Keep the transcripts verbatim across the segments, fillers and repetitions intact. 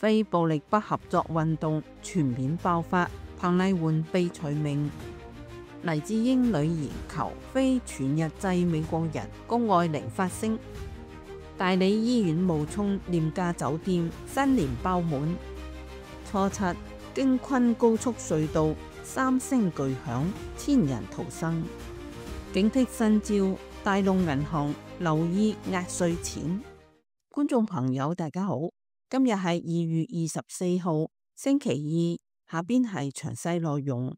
非暴力不合作運動全面爆發，彭麗媛被除名。黎智英女兒求非全日制美國人谷愛凌發聲。大理醫院冒充廉價酒店，新年爆滿。初七，京昆高速隧道三聲巨響，千人逃生。警惕新招，大陸銀行留意壓稅錢。觀眾朋友大家好，今日係二月二十四號星期二，下邊係詳細內容。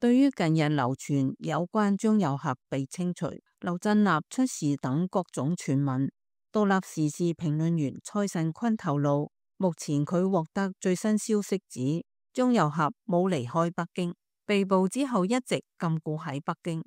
對於近日流傳有關張又俠被清除、劉振立出事等各種傳聞，獨立時事評論員蔡慎坤透露，目前佢獲得最新消息指張又俠冇離開北京，被捕之後一直禁錮喺北京。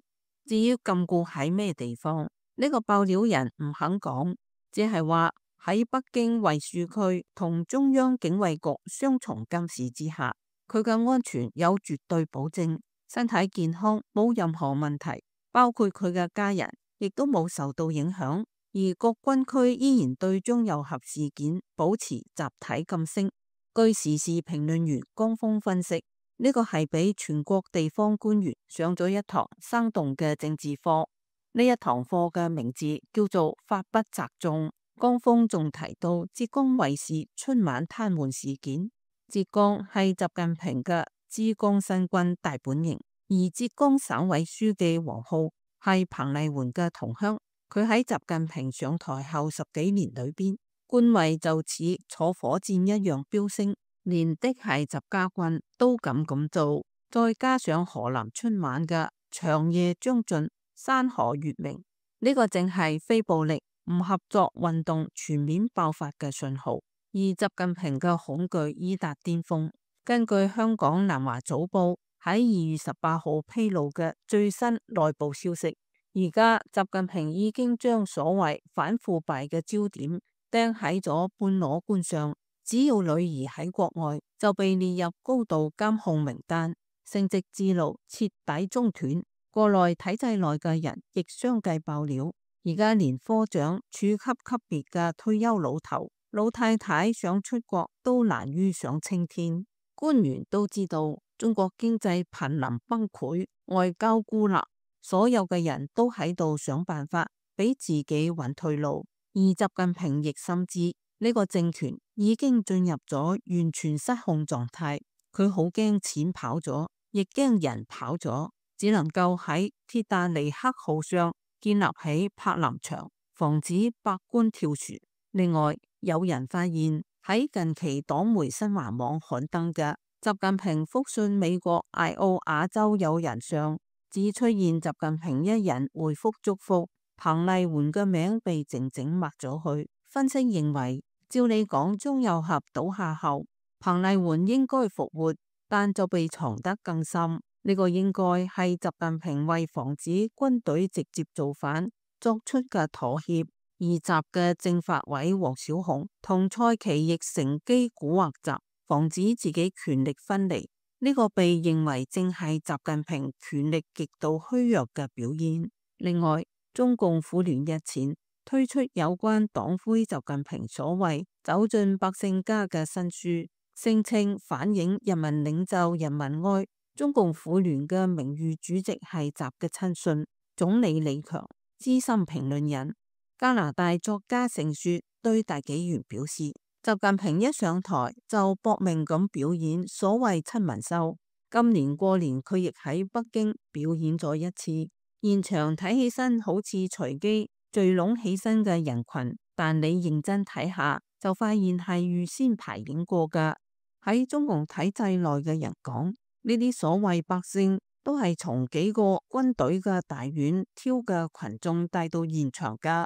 至於禁錮喺咩地方，呢個爆料人唔肯講，只係話喺北京衛戍區同中央警衛局雙重監視之下，佢嘅安全有絕對保證。身體健康，冇任何問題，包括佢嘅家人亦都冇受到影響。而各軍區依然對張又俠事件保持集體噤聲。據時事評論員江峰分析，呢個係俾全國地方官員上咗一堂生動嘅政治課。呢一堂課嘅名字叫做法不責眾。江峰仲提到浙江衛視春晚癱瘓事件，浙江係習近平嘅之江新軍大本營，而浙江省委書記王浩係彭麗媛嘅同鄉，佢喺習近平上台後十幾年裏邊，官位就似坐火箭一樣飆升，連的係習家軍都敢咁做。再加上河南春晚嘅長夜將盡，山河月明，呢、這個正係非暴力唔合作運動全面爆發嘅信號，而習近平嘅恐懼已達巔峰。根據香港南華早報喺二月十八號披露嘅最新內部消息，而家習近平已經將所謂反腐敗嘅焦點釘喺咗半裸官上，只要女兒喺國外就被列入高度監控名單，升職之路徹底中斷。國內體制內嘅人亦相繼爆料，而家連科長、處級級別嘅退休老頭、老太太想出國都難於上青天。官員都知道中國經濟瀕臨崩潰，外交孤立，所有嘅人都喺度想辦法俾自己揾退路。而習近平亦深知呢個政權已經進入咗完全失控狀態，佢好驚錢跑咗，亦驚人跑咗，只能夠喺鐵達尼克號上建立起柏林牆，防止百官跳船。另外，有人發現喺近期黨媒新華網刊登嘅習近平復信美國艾奧亞州友人上，只出現習近平一人回覆祝福，彭麗媛嘅名被靜靜抹咗去。分析認為，照理講張又俠倒下後，彭麗媛應該復活，但就被藏得更深。呢個應該係習近平為防止軍隊直接造反作出嘅妥協。而習嘅政法委王小洪同蔡奇亦乘機蠱惑習，防止自己權力分離。呢、這個被認為正係習近平權力極度虛弱嘅表現。另外，中共婦聯日前推出有關黨魁習近平所謂走進百姓家嘅新書，聲稱反映人民領袖人民愛。中共婦聯嘅名譽主席係習嘅親信總理李強。資深評論人加拿大作家盛雪對大紀元表示，習近平一上台就搏命咁表演所謂親民秀。今年過年佢亦喺北京表演咗一次，現場睇起身好似隨機聚攏起身嘅人群，但你認真睇下就發現係預先排演過噶。喺中共體制內嘅人講，呢啲所謂百姓都係從幾個軍隊嘅大院挑嘅群眾帶到現場噶。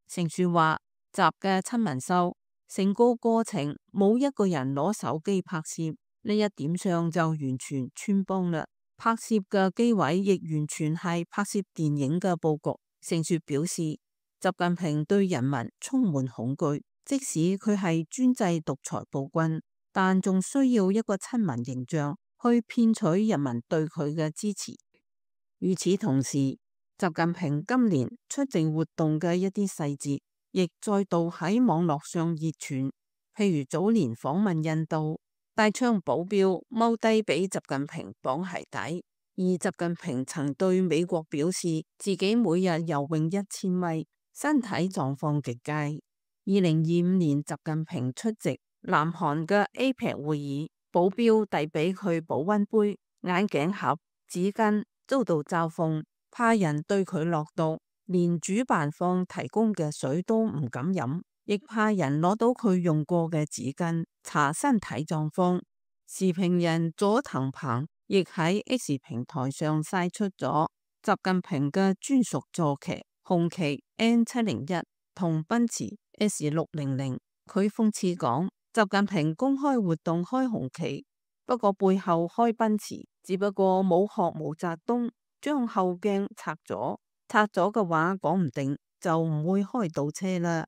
盛雪話，習嘅親民秀成個過程冇一個人攞手機拍攝，呢一點上就完全穿幫啦。拍攝嘅機位亦完全係拍攝電影嘅佈局。盛雪表示，習近平對人民充滿恐懼，即使佢係專制獨裁暴君，但仲需要一個親民形象去騙取人民對佢嘅支持。與此同時，習近平今年出席活動嘅一啲細節亦再度喺網絡上熱傳。譬如早年訪問印度，帶槍保鏢踎低俾習近平綁鞋帶，而習近平曾對美國表示自己每日游泳一千米，身體狀況極佳。二零二五年習近平出席南韓嘅 A P E C 會議，保鏢遞俾佢保溫杯、眼鏡盒、紙巾，遭到嘲諷，怕人對佢落毒，連主辦方提供嘅水都唔敢飲，亦怕人攞到佢用過嘅紙巾查身體狀況。時評人佐藤鵬亦喺 X 平台上晒出咗習近平嘅專屬坐騎紅旗 N 七零一同奔馳 S 六零零。佢諷刺講，習近平公開活動開紅旗，不過背後開奔馳，只不過冇學毛澤東將後鏡拆咗，拆咗嘅話講唔定就唔會開倒車啦。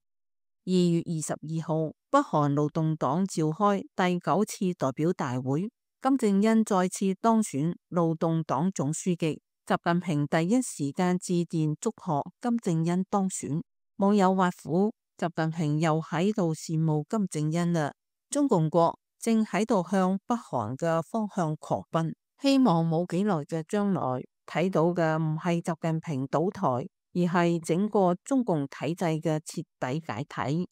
二月二十二號，北韓勞動黨召開第九次代表大會，金正恩再次當選勞動黨總書記。習近平第一時間致電祝賀金正恩當選，網友挖苦習近平又喺度羨慕金正恩啦。中共國正喺度向北韓嘅方向狂奔，希望冇幾耐嘅將來睇到嘅唔係習近平倒台，而係整個中共體制嘅徹底解體。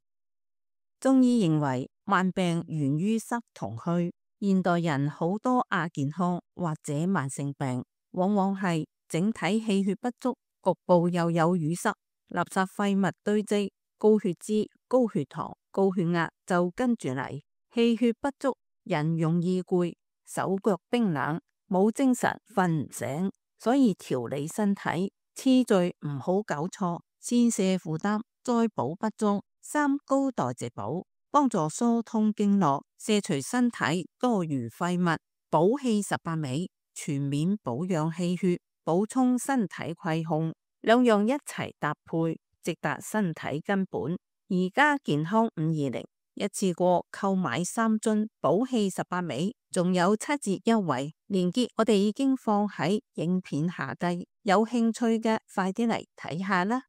中醫認為萬病源於濕同虛，現代人好多亞健康或者慢性病，往往係整體氣血不足，局部又有淤塞，垃圾廢物堆積，高血脂、高血糖、高血壓就跟住嚟。氣血不足，人容易攰，手腳冰冷，冇精神，瞓唔醒。所以調理身體次序唔好搞錯，先瀉負擔，再補不足，三高代謝補，幫助疏通經絡，卸除身體多餘廢物，補氣十八味，全面保養氣血，補充身體虧空，兩樣一齊搭配，直達身體根本。而家健康五二零一次過購買三樽補氣十八味，仲有七折優惠，鏈接我哋已經放喺影片下低，有興趣嘅快啲嚟睇下啦。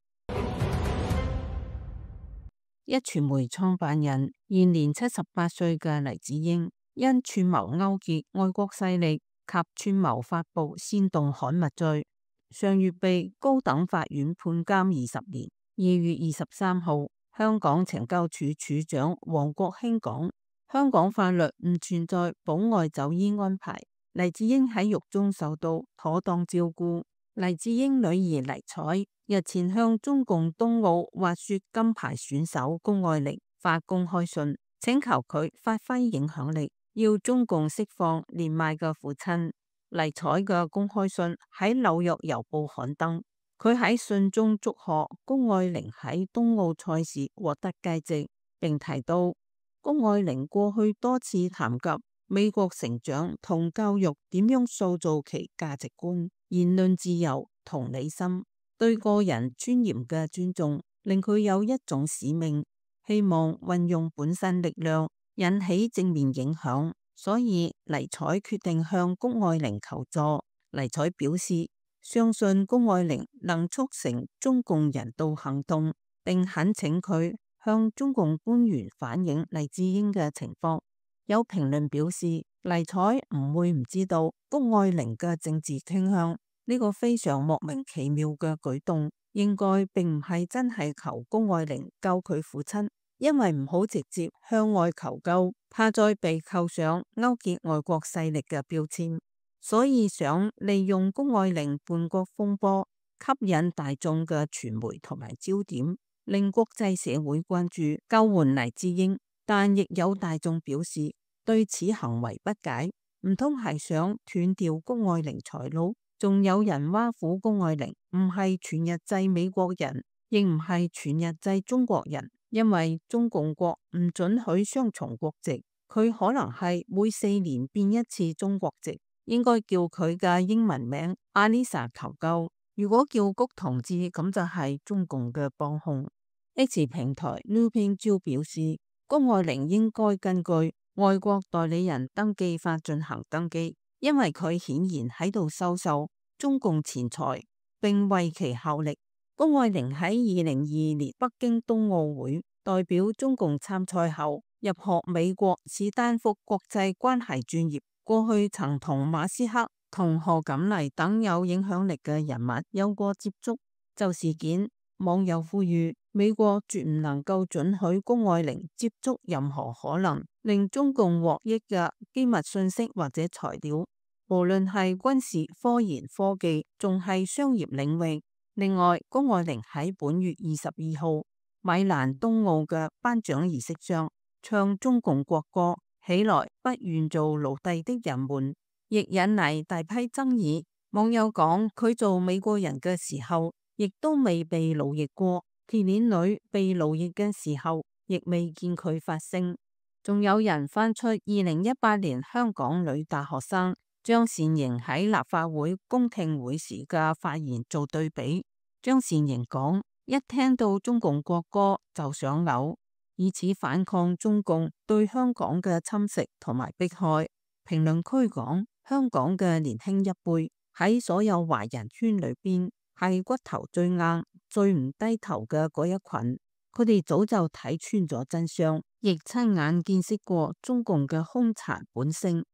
壹傳媒創辦人現年七十八歲嘅黎智英，因串謀勾結外國勢力及串謀發布煽動刊物罪，上月被高等法院判監二十年。二月二十三號，香港懲教署署長黃國興講，香港法律唔存在保外就醫安排，黎智英喺獄中受到妥當照顧。黎智英女兒黎采日前向中共冬奧滑雪金牌選手谷愛凌發公開信，請求佢發揮影響力，要中共釋放年邁嘅父親。黎采嘅公開信喺紐約郵報刊登。佢喺信中祝賀谷愛凌喺冬奧賽事獲得佳績，並提到谷愛凌過去多次談及美國成長同教育點樣塑造其價值觀、言論自由、同理心、對個人尊嚴嘅尊重，令佢有一種使命，希望運用本身力量引起正面影響，所以黎采決定向谷愛凌求助。黎采表示，相信谷愛凌能促成中共人道行動，並懇請佢向中共官員反映黎智英嘅情況。有評論表示，黎采唔會唔知道谷愛凌嘅政治傾向，呢個非常莫名其妙嘅舉動，應該並唔係真係求谷愛凌救佢父親，因為唔好直接向外求救，怕再被扣上勾結外國勢力嘅標籤。所以想利用谷愛凌叛國風波吸引大眾嘅傳媒同埋焦點，令國際社會關注救援黎智英。但亦有大眾表示對此行為不解，唔通係想斷掉谷愛凌財路？仲有人挖苦谷愛凌唔係全日制美國人，亦唔係全日制中國人，因為中共國唔准許雙重國籍，佢可能係每四年變一次中國籍。應該叫佢嘅英文名阿麗莎求救。如果叫谷同志，咁就係中共嘅幫兇。X 平台 Newping 表示，谷愛凌應該根據外國代理人登記法進行登記，因為佢顯然喺度收受中共錢財，並為其效力。谷愛凌喺二零二二年北京冬奧會代表中共參賽後，入學美國史丹福國際關係專業。過去曾同馬斯克同賀錦麗等有影響力嘅人物有過接觸。就事件，網友呼籲美國絕唔能夠准許谷愛凌接觸任何可能令中共獲益嘅機密信息或者材料，無論係軍事、科研、科技，仲係商業領域。另外，谷愛凌喺本月二十二號米蘭冬奧嘅頒獎儀式上唱中共國歌，起來不願做奴隸的人們，亦引嚟大批爭議。網友講佢做美國人嘅時候，亦都未被奴役過，鐵鏈女被奴役嘅時候，亦未見佢發聲。仲有人翻出二零一八年香港女大學生張善瑩喺立法會公聽會時嘅發言做對比。張善瑩講：一聽到中共國歌就想嘔，以此反抗中共對香港嘅侵蝕同埋迫害。評論區講：香港嘅年輕一輩喺所有華人圈裏邊係骨頭最硬、最唔低頭嘅嗰一群，佢哋早就睇穿咗真相，亦親眼見識過中共嘅兇殘本性。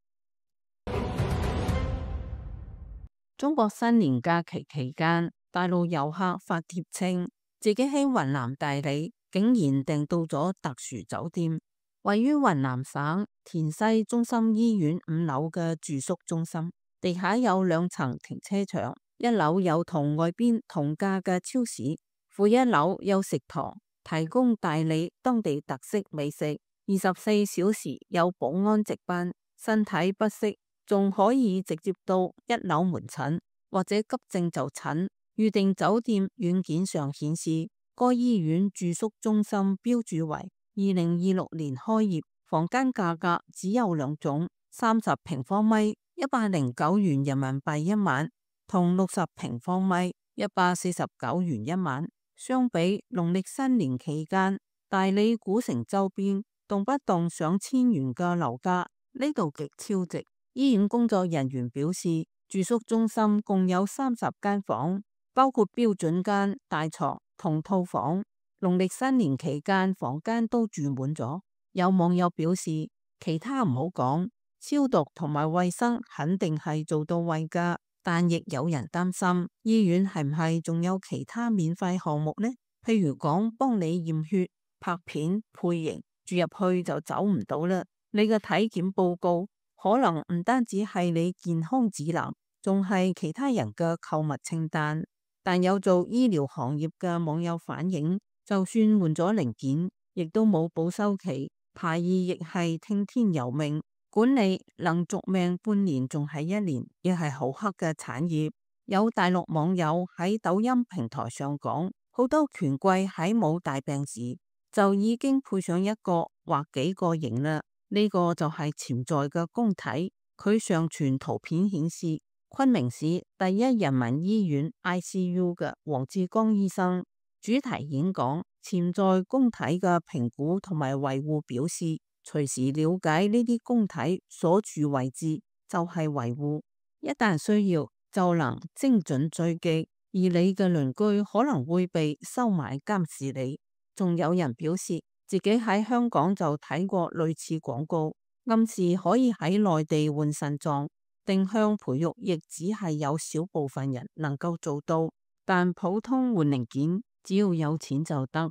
中國新年假期期間，大陸遊客發帖稱自己喺雲南大理竟然訂到咗特殊酒店，位於雲南省田西中心醫院五樓嘅住宿中心，地下有兩層停車場，一樓有同外邊同價嘅超市，負一樓有食堂，提供大理當地特色美食，二十四小時有保安值班，身體不適仲可以直接到一樓門診或者急症就診。預訂酒店軟件上顯示，該醫院住宿中心標注為二零二六年開業，房間價格只有兩種，三十平方米一百零九元人民幣一晚，同六十平方米一百四十九元一晚。相比農曆新年期間大理古城周邊動不動上千元嘅樓價，呢度極超值。醫院工作人員表示，住宿中心共有三十間房，包括標準間、大床同套房。農曆新年期間房間都住滿咗。有網友表示，其他唔好講，消毒同埋衛生肯定係做到位噶，但亦有人擔心醫院係唔係仲有其他免費項目呢？譬如講幫你驗血、拍片、配型，住入去就走唔到啦。你嘅體檢報告可能唔單止係你健康指南，仲係其他人嘅購物清單。但有做醫療行業嘅網友反映，就算換咗零件，亦都冇保修期，排異亦係聽天由命。管理能續命半年，仲係一年，亦係好黑嘅產業。有大陸網友喺抖音平台上講，好多權貴喺冇大病時就已經配上一個或幾個型啦。呢個就係潛在嘅供體。佢上傳圖片顯示，昆明市第一人民醫院 I C U 嘅黃志剛醫生主題演講，潛在供體嘅評估同埋維護表示，隨時了解呢啲供體所處位置就係維護，一旦需要就能精準追擊，而你嘅鄰居可能會被收買監視你。仲有人表示，自己喺香港就睇過類似廣告，暗示可以喺內地換腎臟，定向培育亦只係有少部分人能夠做到，但普通換零件只要有錢就得。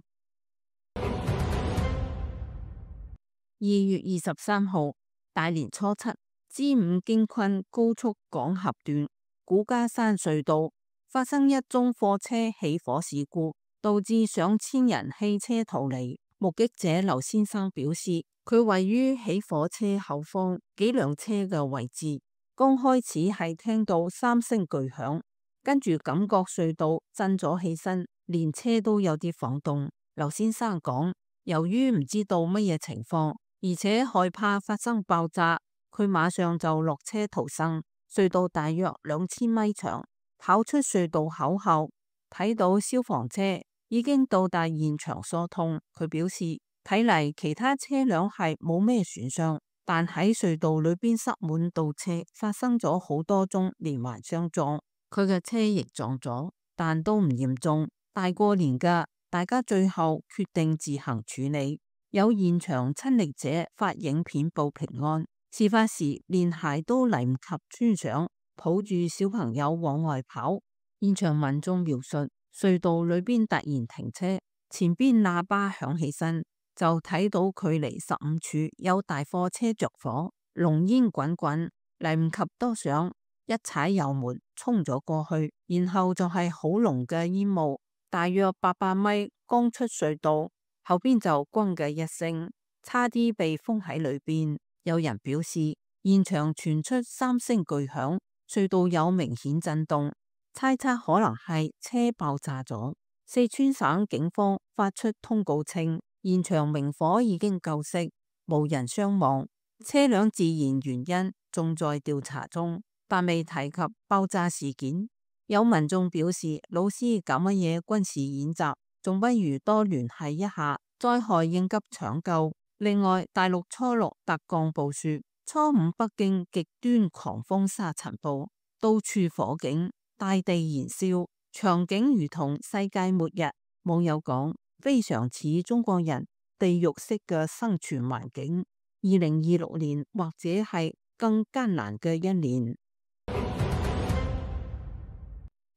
二月二十三號，大年初七，支五經昆高速港峽段古家山隧道發生一宗貨車起火事故，導致上千人棄車逃離。目擊者劉先生表示，佢位於起火車後方幾輛車嘅位置，剛開始係聽到三聲巨響，跟住感覺隧道震咗起身，連車都有啲晃動。劉先生講，由於唔知道乜嘢情況，而且害怕發生爆炸，佢馬上就落車逃生。隧道大約兩千米長，跑出隧道口後，睇到消防車已經到達現場疏通。佢表示，睇嚟其他車輛係冇咩損傷，但喺隧道裏邊塞滿倒車，發生咗好多宗連環相撞。佢嘅車亦撞咗，但都唔嚴重。大過年㗎，大家最後決定自行處理。有現場親歷者發影片報平安，事發時連鞋都嚟唔及穿上，抱住小朋友往外跑。現場民眾描述，隧道裏邊突然停車，前邊喇叭響起身，就睇到距離十五處有大貨車着火，濃煙滾滾，嚟唔及多想，一踩油門衝咗過去，然後就係好濃嘅煙霧，大約八百米剛出隧道，後邊就轟嘅一聲，差啲被封喺裏邊。有人表示，現場傳出三聲巨響，隧道有明顯震動，猜測可能係車爆炸咗。四川省警方發出通告稱，現場明火已經救熄，無人傷亡，車輛自燃原因仲在調查中，但未提及爆炸事件。有民眾表示，老師搞乜嘢軍事演習，仲不如多聯繫一下災害應急搶救。另外，大陸初六特降暴雪，初五北京極端狂風沙塵暴，到處火警，大地燃燒，場景如同世界末日。網友講，非常似中國人地獄式嘅生存環境。二零二六年或者係更艱難嘅一年。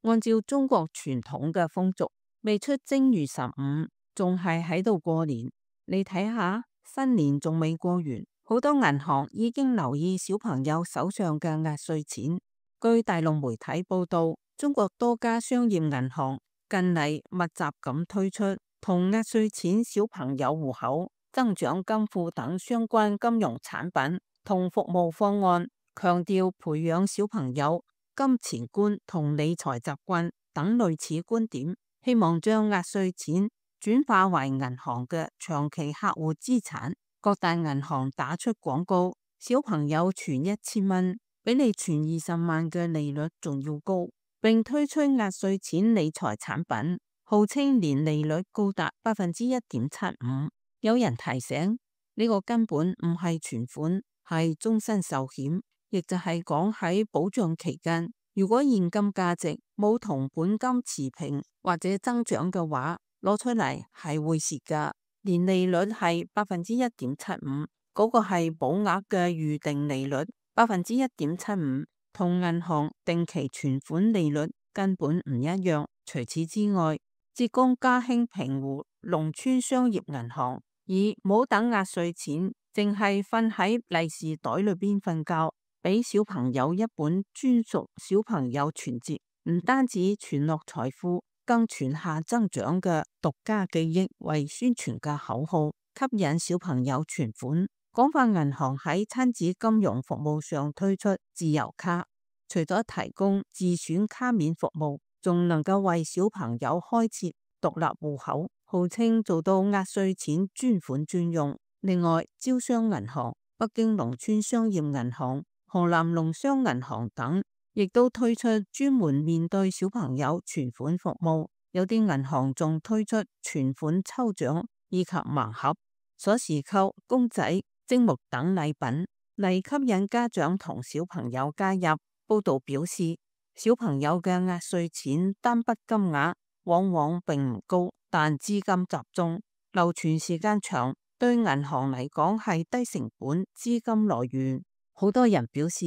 按照中國傳統嘅風俗，未出正月十五，仲係喺度過年。你睇下，新年仲未過完，好多銀行已經留意小朋友手上嘅壓歲錢。據大陸媒體報道，中國多家商業銀行近嚟密集咁推出同壓歲錢、小朋友戶口、增長金庫等相關金融產品同服務方案，強調培養小朋友金錢觀同理財習慣等類似觀點，希望將壓歲錢轉化為銀行嘅長期客戶資產。各大銀行打出廣告，小朋友存一千蚊，比你存二十萬嘅利率仲要高，並推出壓歲錢理財產品，號稱年利率高達百分之一點七五。有人提醒，呢個根本唔係存款，係終身壽險。亦就係講喺保障期間，如果現金價值冇同本金持平或者增長嘅話，攞出嚟係會蝕噶。年利率係百分之一點七五，嗰個係保額嘅預定利率，百分之一點七五，同銀行定期存款利率根本唔一樣。除此之外，浙江嘉興平湖農村商業銀行以冇等壓歲錢，淨係瞓喺利是袋裏邊瞓覺，俾小朋友一本專屬小朋友存折，唔單止存落財富，更存下增長嘅獨家記憶為宣傳嘅口號，吸引小朋友存款。廣發銀行喺親子金融服務上推出自由卡，除咗提供自選卡面服務，仲能夠為小朋友開設獨立戶口，號稱做到壓歲錢專款專用。另外，招商銀行、北京農村商業銀行、河南農商銀行等，亦都推出專門面對小朋友存款服務。有啲銀行仲推出存款抽獎以及盲盒、鎖匙扣、公仔、積木等禮品，嚟吸引家長同小朋友加入。報道表示，小朋友嘅壓歲錢單筆金額往往並唔高，但資金集中、流傳時間長，對銀行嚟講係低成本資金來源。好多人表示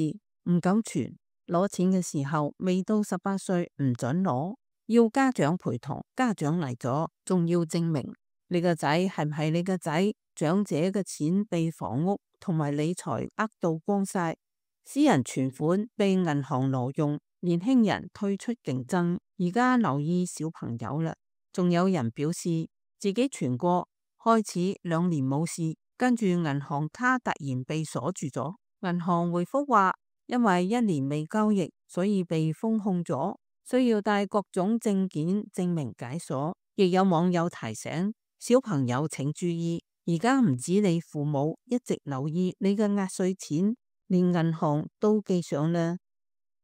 唔敢存，攞錢嘅時候未到十八歲唔准攞，要家長陪同。家長嚟咗仲要證明你個仔係唔係你個仔。長者嘅錢被房屋同埋理財呃到光晒，私人存款被銀行挪用，年輕人退出競爭。而家留意小朋友啦，仲有人表示自己存過，開始兩年冇事，跟住銀行卡突然被鎖住咗。銀行回覆話，因為一年未交易，所以被封控咗，需要帶各種證件證明解鎖。亦有網友提醒小朋友請注意，而家唔止你父母一直留意你嘅壓歲錢，連銀行都記上啦。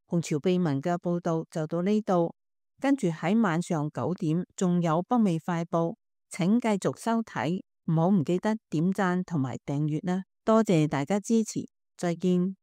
紅潮秘聞嘅報道就到呢度，跟住喺晚上九點仲有北美快報，請繼續收睇，唔好唔記得點讚同埋訂閱啦。多謝大家支持，再見。